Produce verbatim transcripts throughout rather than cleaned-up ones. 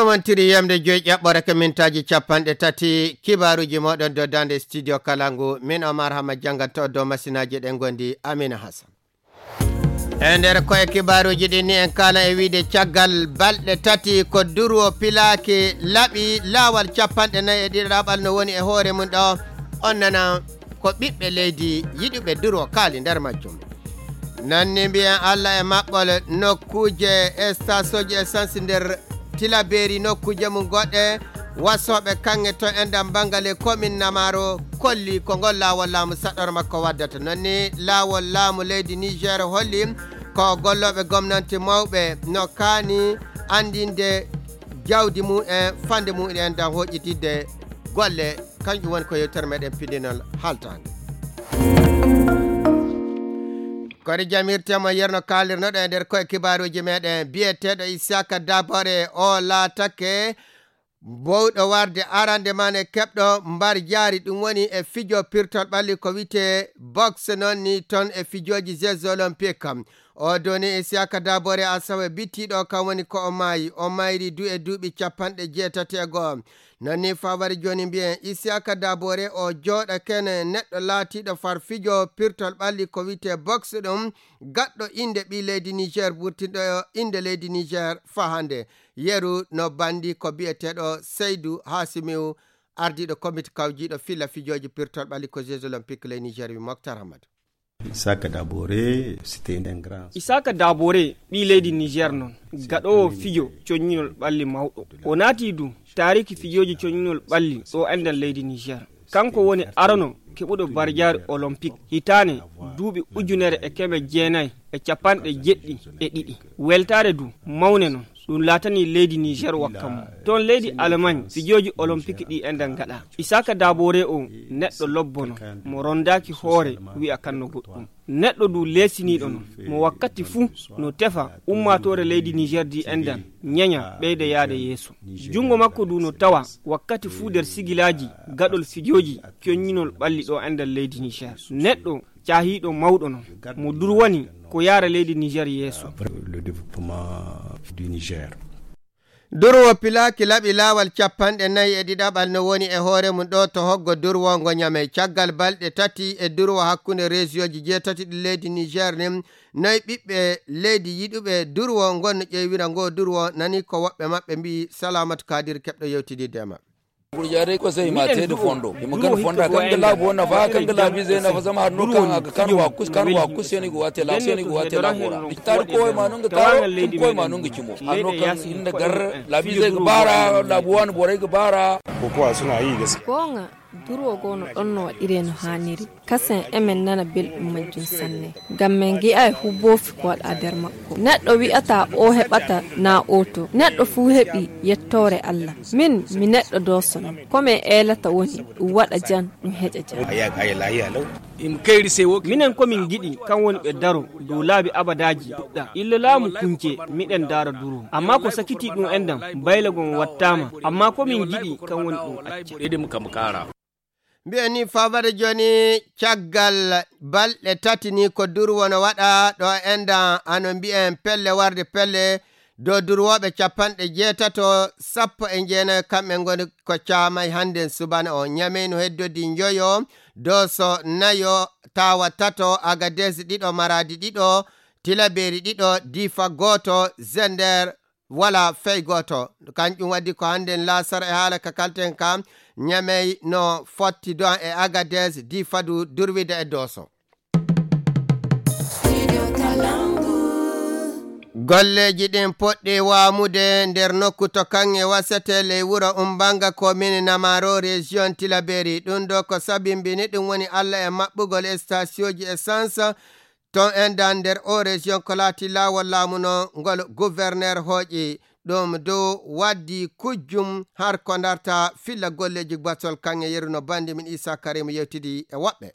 Wontiri yamde joyi ƴaɓɓore ko mintaaji capanɗe tati, kibaaruuji mooɗon dow daande studio kala ngu, min Omar Hama jannganto dow masinaaji ɗen ngondi Amina Hassan. E nder koye kibaaruuji ɗin ni en kaala e wiide caggal balɗe tati ko durwo pilaaki laɓi laawal capanɗe nayi e ɗiɗaɓal no woni e hoore mum ɗo, on nana ko ɓiɓɓe leydi yiɗuɓe durwo kaali nder majjum. Nanni mbiyen Allah e maɓɓol nokkuuje e stasooji essence nder Tilaberi, nokkuuje mum goɗɗe, wasooɓe kaŋŋe to enɗam bangale komin Namaro kolli ko ngol laawol laamu saɗɗor makko waddata. Nonni laawol laamu leydi Niger holli ko gollooɓe gomnanti mawɓe no kaani anndinde jawdi mum en, fande mum en dan hoƴƴitidde golle. Kanƴum woni ko yewtere meɗen piɗinol haltaande. Kori jamirtemo yerno kaalirnoɗo e nder koye kibaaruuji meɗen, biyeteeɗo Isaka Dabore o laatake bowɗo warde arande man e keɓɗo mbar jaari, ɗum woni e fijo pirtol ɓalli ko wiyte boxe, noon ni toon e fijooji Jeux Olympiques. O doni Isaka Dabore asawe bittiiɗo kam woni ko o maayi. O mayri du e duuɓi capanɗe jeetati e go'o. Noon ni fawari jooni mbiyen Isaka Dabore o jooɗa kene neɗɗo laatiiɗo far fijo pirtol ɓalli ko wiyte boxe, ɗum gaɗɗo innde ɓii leydi Niger, burtinɗo innde leydi Niger faa hannde. Yeru no banndi ko biyeteeɗo Seydu Hasimiw, ardiiɗo komite kawjiiɗo filla fijooji pirtol ɓalli ko Jeux Olympiques ley Niger wi Moktar Hamadu. Isaka Dabore, c'était un grand. Isaka Dabore, ɓii leydi Niger noon, gaɗoowo fijo coññinol ɓalli mawɗo. O naati du taariki fijooji coññinol ɓalli ɗo enɗan leydi Niger. Kanko woni arano keɓuɗo barjaari olympique hitaane duuɓi ujunere e keme jeenayi e capanɗe jeɗɗi e ɗiɗi. Weltaare du mawne noon, ɗum laatanii leydi Niger wakka mum. Toon leydi Allemagne, fijooji olympique ɗi enɗan ngaɗa. Isaka Dabore o neɗɗo lobbono, mo rondaaki hoore wi'a kan no goɗɗum. Neɗɗo du leesiniiɗo noon, mo wakkati fuu no tefa ummaatoore leydi Niger di enɗan, ñeña, ɓeyda yaade yeeso. Junngo makko du no tawa wakkati fuu nder sigilaaji gaɗol fijooji coññinol ɓalli ɗo enɗan leydi Niger. Neɗɗo caahiiɗo mawɗo noon, mo durwani ko yaara leydi Niger yeeso. Le développement du Niger. Durwo pilaaki laɓi laawal capanɗe nayi e ɗiɗaɓal no woni e hoore mum ɗo to hoggo durwo ngo Ñamey. Caggal balɗe tati e durwo hakkunde reesiyooji jeetati ɗi leydi Niger nin, nayi ɓiɓɓe leydi yiɗuɓe durwo ngon no ƴeewira ngo durwo, nani ko woɓɓe maɓɓe mbi'i. Salamatu Kadir keɓɗo yewtidiiɗo e maɓɓe. Miɗen du'o fonda kan ga laabi wo nafa kan ga laabi zey nafa zama har no kan aga kan wa kus kan wa kus seni go wate la seni go wate la gora. Tari ko ma nunga taro tun ko ma nunga cimo har no kan inda gar laabi zey ga bara laabi wani borai ga bara. Ko ko suna yi gaskiya. Gonga, durwo gono ɗon no waɗire no haaniri. Kasen emen nana belɗum majjum sanne. Ngam men ngi'ay hu boofi ko waɗa nder makko. Neɗɗo wi'ata o heɓata na o to. Neɗɗo fuu heɓi yettoore Allah. Min mi neɗɗo doosono. Ko men eelata woni ɗum waɗa jam, ɗum heƴa jam. Minen ko min ngiɗi kan woni ɓe daro dow laabi abadaaji duɗɗa. Illa laamu kunce miɗen daara duro. Amma ko sakiti ɗum enɗam bayla gon wattaama. Amma ko min ngiɗi kan woni ɗum acca. Mbiyen ni fawade jooni caggal balɗe tati ni ko durwo no waɗa ɗo enɗan, ano mbiyen pelle warde pelle dow durwooɓe capanɗe jeetato, sappo e jeenayo kamɓe ngoni ko caamay hannden subana o. Ñamey no heddodi njoyo, Dooso nayo, Taawa tato, Agades ɗiɗo, Maraadi ɗiɗo, Tilaberi ɗiɗo, Difa gooto, Zender wala fey gooto. Kanƴum waɗi ko hannden laasara e haala ka kalten ka, Ñamey no fotti do'an e Agades, Difa du durwida e Dooso. Golleeji ɗin poɗɗi waamude nder nokku to kaŋŋe wasete ley wuro Umbanga, komini Namaro, rejiyon Tilaberi. Ɗum ɗo ko sabimbini ɗum woni Alla e maɓɓugol estasiyoji essence ton enɗan nder o rejiyon ko laati laawol laamu no ngol guverner hooƴi. Ɗum dow waddi kujjum har ko ndarta filla golleeji basol kaŋŋe yeru no bandi min Isa Karim yewtidi e woɓɓe.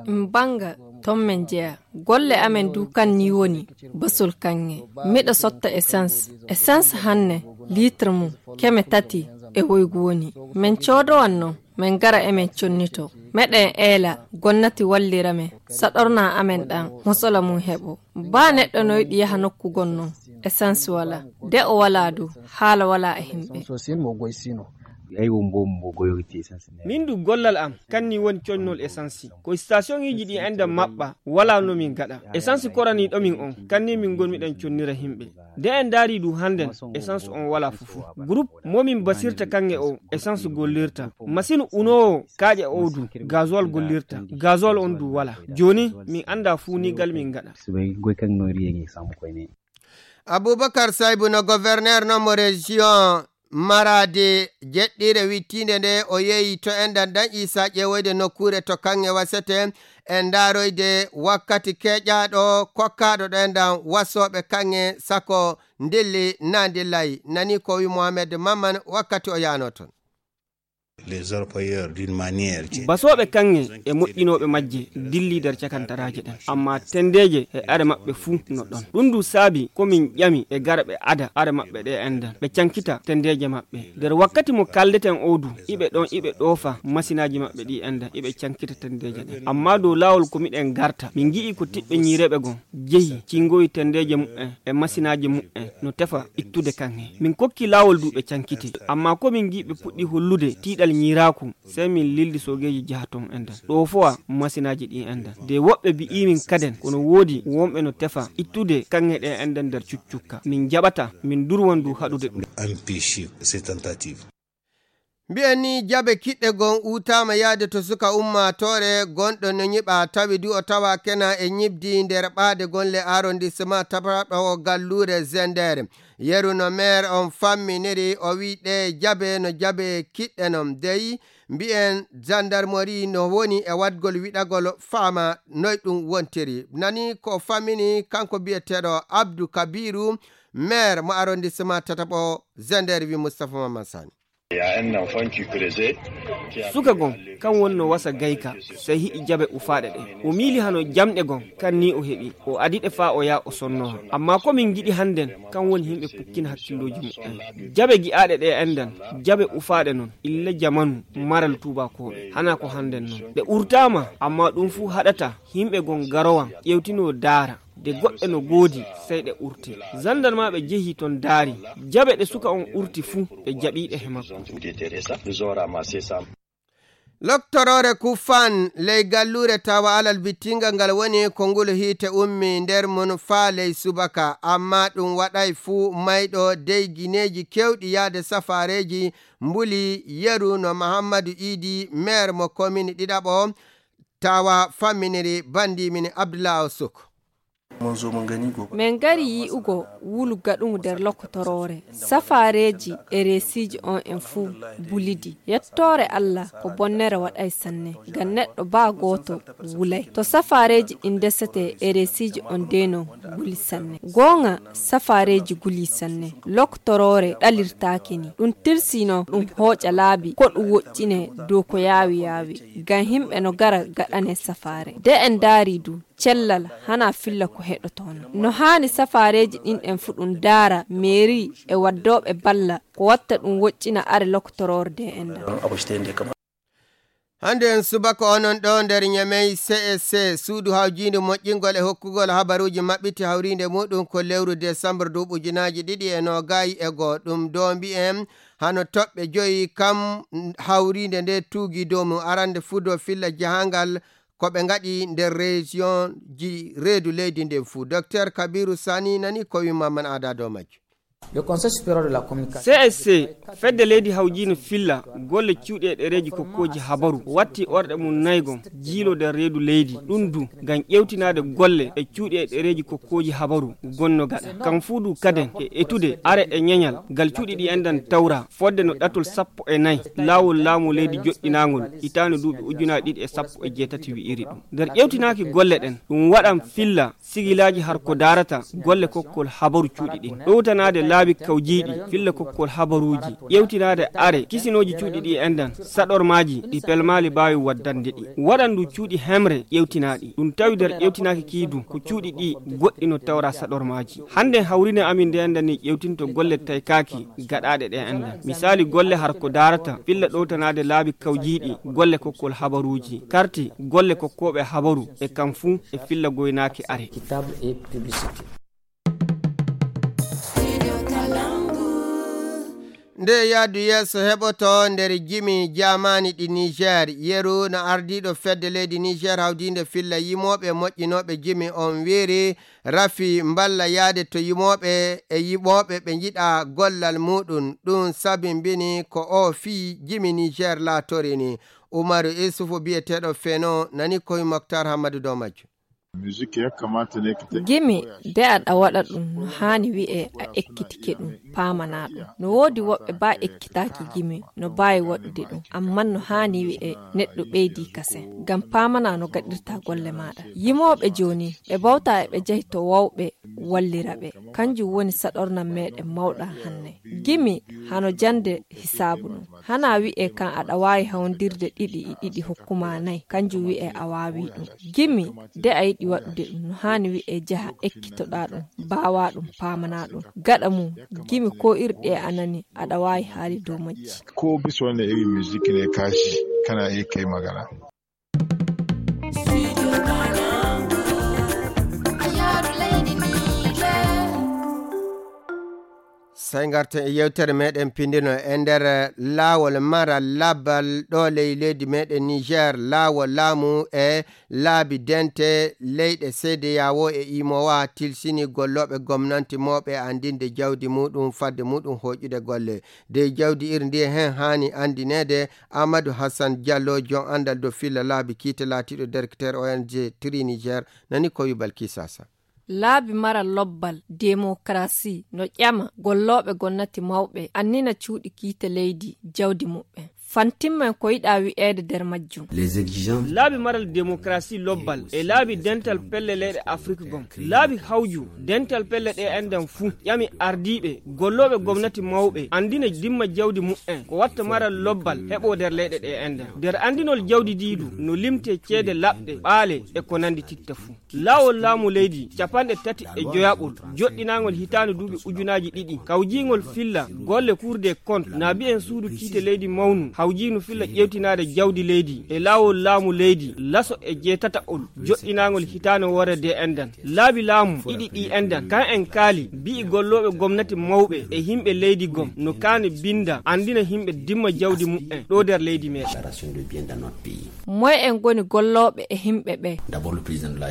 Mbanga ton men jeya. Golle amen du kan ni woni basol kaŋŋe. Miɗo sotta essence. Essence hanne litre mum keme tati e woygu woni. Men coodowan non Min ngara emin connito. Meɗen eela, gonnati wallira men, saɗorna amen ɗan, mosola mum heɓo. Baa neɗɗo no yiɗi yaha nokku goo non, essence wala. De o wala du, haala wala e himɓe. Ay wo mbo mbo goyogiti essence ne. Min du gollal am, kanni woni connol essence. Ko stationiji ɗi enda maɓɓa, wala no min gaɗa. Essence korani ɗo min on, kanni min gonmi ɗan connira himɓe. De en daari du hannden, essence on wala fufu. Groupe mo min basirta kanŋe o, essence gollirta. Machine unoowo kaaƴe o du, gasoil gollirta. Gasoil on du wala. Jooni, min anda fu ni gal min gaɗa. Subay goy kan no riye ngi samu koy ne. Abubakar Saybu no gouverneur no mo région Maradi jeɗɗiire wittiinde nde o yehi to enɗan ɗan Isa ƴeewoyde nokkuure to kaŋŋe wasete e ndaaroyde wakkati keeƴaaɗo kokkaaɗo ɗo enɗan wasooɓe kaŋŋe sako ndilli na ndillay. Nani ko wi Mohamed Mamman wakkati o yaano toon. Les orpailleurs d'une manière. Basooɓe kaŋŋe e moƴƴinooɓe majje dilli nder cakantaraaje ɗen, amma tendeeje e are maɓɓe fuu no ɗon. Ɗun du saabi ko min ƴami e gara ɓe ada are maɓɓe ɗe enɗan, ɓe cankita tendeeje maɓɓe. Nder wakkati mo kaldeten o du, iɓe ɗon iɓe ɗoofa masinaaji maɓɓe ɗi enɗan, iɓe cankita tendeeje ɗen. Amma dow laawol ko miɗen garta, min ngi'i ko tiɓɓe ñiireɓe gon jehi cingoyi tendeeje mu'en e masinaaji mu'en no tefa ittude kaŋŋe. Min kokki laawol du ɓe cankiti, amma ko min ngi'i ɓe puɗɗi hollude tiiɗal ñiiraaku, sey min lildi soogeeji jaha ton enɗan. Ɗo fowa masinaaji ɗi enɗan. De woɓɓe bi'i min kaden, kono woodi wonɓe no tefa ittude kaŋŋe ɗe enɗan nder cuccukka. Min jaɓata, min durwan du haɗude ɗum. Empêcher ces tentatives. Mbi'en ni jabe kiɗɗe gon uutaama yaade to suka ummaatoore gonɗo no ñiɓa, tawi du o tawa kena e ñiɓdi nder ɓaade gonle arrondissement tapaɗo galluure Zender. Yeru no maire on famminiri, o wi ɗe jabe no jabe kiɗɗe non. Dey mbi'en gendarmerie no woni e waɗgol wiɗagol faama noy ɗum wontiri. Nani ko fammini kanko biyeteeɗo Abdou Kabiru, maire mo arrondissement tataɓo Zender, wi Moustapha Mamman Sani. Suka gon, kan woni no wasa gayka, sey hi'i jabe ufaaɗe ɗe. O miili hano jamɗe gon, kan ni o heɓi. O adi ɗe faa o yaa o sonnoha. Amma ko min ngiɗi hannden, kan woni himɓe pukkina hakkillooji mu'en. Jabe gi'aaɗe ɗe enɗan, jabe ufaaɗe non, illa jamanu, maral tuubakooɓe. Hana ko hannden non. Ɗe urtaama, amma ɗum fuu haɗata, himɓe gon garowan, ƴewtinoo daara. De goɗɗe no goodi, sey ɗe urte. Zandarmaaɓe jehi ton daari. Jabe ɗe suka on urti fuu, ɓe jaɓi ɗe he makko. Loktoroore Kufan ley galluure tawa alal bittingal ngal woni ko ngulu hiite ummi nder mum faa ley subaka, amma ɗum waɗay fuu mayɗo dey gineeji kewɗi yaade safaareeji mbuli yeru no Mahammadu Iidi, maire mo komini ɗiɗaɓo, tawa famminiri bandi min Abdullah Osuk. Min ngari yi'ugo wulu gaɗugu nder lokotoroore. Safaareeji e reesiiji on en fuu bulidi. Yettoore Allah ko bonnere waɗay sanne. Ngam neɗɗo baa gooto wulay. To safaareeji ɗin ndesete e reesiiji on dee non guli sanne. Gooŋa safaareeji guli sanne. Lokotoroore ɗalirtaake ni. Ɗum tirsino ɗum hooƴa laabi ko ɗum woƴƴine dow ko yaawi yaawi. Ngam himɓe no gara gaɗane safaare. De en ndaari du, cellal hana filla ko heɗotoono. No haani safaareeji ɗin ɗen fu ɗum daara meeri e waddooɓe balla ko watta ɗum woƴƴina are lokotoroorde en ɗan. Hande en subaka onon ɗo nder Ñamey C S C, suudu hawjiindu moƴƴingol e hokkugol habaruuji maɓɓiti hawriinde muɗum ko lewru desambur duuɓi ujunaaji ɗiɗi e noogay e goo. Ɗum doombi en hano toɓɓe joyi kam hawriinde nde tuugi dow mum arande fuu dow filla jahangal ko ɓe ngaɗi nder région ji reedu leydi ndin fuu. Docteur Kabiru Sani nani ko wi Mamman Ada dow majjum. Le Conseil supérieur de la communication. C S C, fedde leydi hawjiino filla golle cuuɗi e ɗereeji kokkooji habaru, watti orɗe mum naygon jiilo nder reedu leydi, ɗum du ngam ƴewtinaade golle e cuuɗi e ɗereeji kokkooji habaru gonno gaɗa. Kam fuu du kaden e etude are e ñeñal ngal cuuɗi ɗi enɗan tawra, fodde no ɗatol sappo e nayi laawol laamu leydi joɗɗinaangol hitaande duuɓi ujunaaji ɗiɗi e sappo e jeetati wi'iri ɗum. Nder ƴewtinaaki golle ɗen, ɗum waɗan filla sigilaaji har ko daarata golle kokkol habaru cuuɗi ɗin. Ɗowtanaade laabi kawjiiɗi filla kokkol habaruuji, ƴewtinaade are kisinooji cuuɗi ɗi enɗan, saɗormaaji ɗi pelmaali mbaawi waddande ɗi. Waɗan ndu cuuɗi hemre ƴewtinaaɗi. Ɗum tawi nder ƴewtinaaki kii du, ko cuuɗi ɗi goɗɗi no tawra saɗormaaji. Hannde hawrine amin nde enɗan ni ƴewtinto golle taykaaki gaɗaaɗe ɗe enɗan. Misaali golle har ko daarata filla ɗowtanaade laabi kawjiiɗi, golle kokkol habaruuji, karti, golle kokkooɓe habaru e kam fuu e filla goynaaki are. Nde yaadu yeeso heɓoto nder jimi jaamaani ɗi Niger, yeru no ardiiɗo fedde leydi Niger hawdiinde filla yimooɓe moƴƴinooɓe jimi on wiiri rafi mballa yaade to yimooɓe e yiɓooɓe ɓe njiɗa gollal muɗum. Ɗum sabimbini ko o fii jimi Niger laatorini. Umaru Isufu biyeteeɗo Feno nani koye Moktar Hammadu dow majjum. Gimi de aɗa waɗa ɗum no haani wi'e a ekkitike ɗum, paamana ɗum. No woodi woɓɓe ba ekkitaaki gimi no baawi waɗude ɗum, amman no haani wi'e neɗɗo ɓeydi kasen. Ngam paamana no gaɗirta golle maaɗa. Yimooɓe jooni, ɓe bawta e ɓe njahi to wawɓe wallira ɓe. Kanjum woni saɗornan meɗen mawɗan hanne. Gimi hano jannde hisaabu ɗum. Hana wi'e kan aɗa waawi hawndirde ɗiɗi e ɗiɗi hokkuma nayi, kanjum wi'e a waawi ɗum. Gimi de a yiɗi waɗude ɗum, no haani wi'e jaha ekkitoɗa ɗum, mbaawa ɗum, paamana ɗum. Gaɗa mum, gimi ko irɗi e a nani, aɗa waawi haali dow majji. Ko biso ne ewi musique ne kashi, kana e kai magana. Sey ngarten e yewtere meɗen pindino e nder laawol maral labbal ɗo ley leydi meɗen Niger, laawol laamu e laabi dente leyɗe C D A O e imowa tilsini gollooɓe gomnanti mawɓe anndinde jawdi muɗum fadde muɗum hoƴude golle. Dey jawdi iri ndi hen haani anndineede. Amadou Hassan Diallo, jon anndal dow filla laabi kiite laatiiɗo directeur O N G Tri Niger, nani ko wi Balkisa Sa. Laabi maral lobbal, demokarasi, no ƴama gollooɓe gonnati mawɓe, annina cuuɗi kiite leydi, jawdi muɓɓen. Fantimmen ko yiɗa wi'eede nder majjum. Laabi maral demokarasi lobbal e laabi dental pelle leyɗe Afrik gom. Laabi hawju dental pelle ɗe enɗan fuu ƴami ardiiɓe, gollooɓe gomnati mawɓe, anndina dimma jawdi muɓɓen, ko watta maral lobbal heɓo nder leyɗe ɗe enɗan. Nder anndinol jawdi diidu no limte ceede laɓɗe, ɓaale e ko nanndi titta fuu. Laawol laamu leydi capanɗe tati e joyaɓol, joɗɗinaangol hitaande duuɓi ujunaaji ɗiɗi, kawjiingol filla golle Cour des comptes, na bi'en suudu kiite leydi mawnu, hawjiinu filla ƴeewtinaade jawdi leydi, e laawol laamu leydi laso e jeetataɓol, joɗɗinaangol hitaande woore de enɗan. Laabi laamu ɗiɗi ɗi enɗan, kan en kaali, bi'i gollooɓe gomnati mawɓe e himɓe leydi gom, no kaani binda, anndina himɓe dimma jawdi muɓɓen ɗo nder leydi meɗen. Moy en ngoni gollooɓe e himɓe ɓe?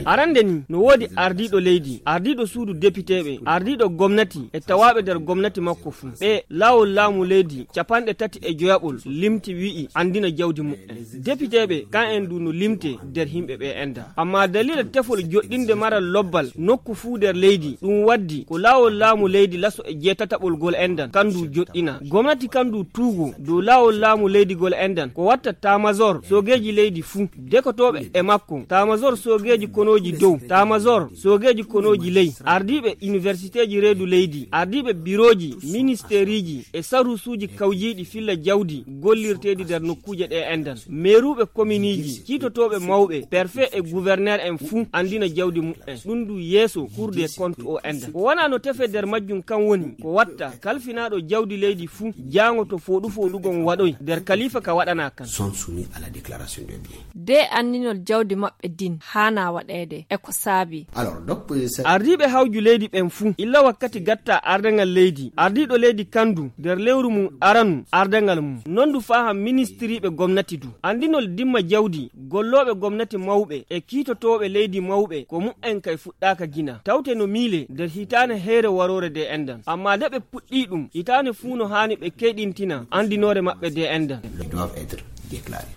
Arande ni, no woodi ardiiɗo leydi, ardiiɗo suudu depiteeɓe, ardiiɗo gomnati e tawaaɓe nder gomnati makko fuu. Ɓe laawol laamu leydi capanɗe tati e joyaɓol limti wi'i anndina jawdi muɓɓen. Depiteeɓe, kan en du no limte nder himɓe ɓe enɗan. Amma daliila tefol joɗɗinde maral lobbal nokku fuu nder leydi, ɗum waddi ko laawol laamu leydi laso e jeetataɓol gol enɗan, kan du joɗɗina. Gomnati kan du tuugo dow laawol laamu leydi gol enɗan, ko watta tamazor soogeeji leydi fuu, dekotooɓe e makko, tamazor soogeeji konooji dow, tamazor soogeeji konooji ley, ardiiɓe universiteeji reedu leydi, ardiiɓe birooji, ministeeriiji e saruusuuji kawjiiɗi filla jawdi gollirteeɗi nder nokkuuje ɗe enɗan, meeruuɓe kominiiji, kiitotooɓe mawɓe, perfe e guverneer en fuu anndina jawdi muɓɓen. Ɗum du yeeso Cour des comptes o enɗan. Ko wona no tefe nder majjum kan woni ko watta kalfinaaɗo jawdi leydi fuu jaango to fooɗu fooɗugon waɗoy nder kalifa ka waɗana kan. Sont soumis à la déclaration de biens. De anndinol jawdi maɓɓe din haana waɗeede. E ko saabi? Alors, donc, euh, ça- Ardiiɓe hawju leydi ɓen fuu, illa wakkati gatta ardangal leydi, ardiiɗo leydi kan du, nder lewru mum aranu ardangal mum. Non du faaha ministiriiɓe gomnati du. Anndinol dimma jawdi, gollooɓe gomnati mawɓe e kiitotooɓe leydi mawɓe, ko mu'en kay fuɗɗaaka gina. Tawte no miile nder hitaane heyre waroore de enɗan. Amma nde ɓe puɗɗii ɗum, hitaane fuu no haani ɓe keyɗintina anndinoore maɓɓe de enɗan. Ils doivent être déclarés.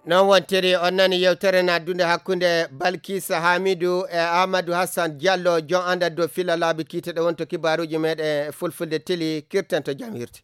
Non wontiri, on nani yewtere naddunde hakkunde Balkisa Hamidu e Amadou Hassan Diallo, jon andal dow filla laabi kiite ɗe wonto kibaaruuji meɗen fulfulde teli, kirten to jam hirti.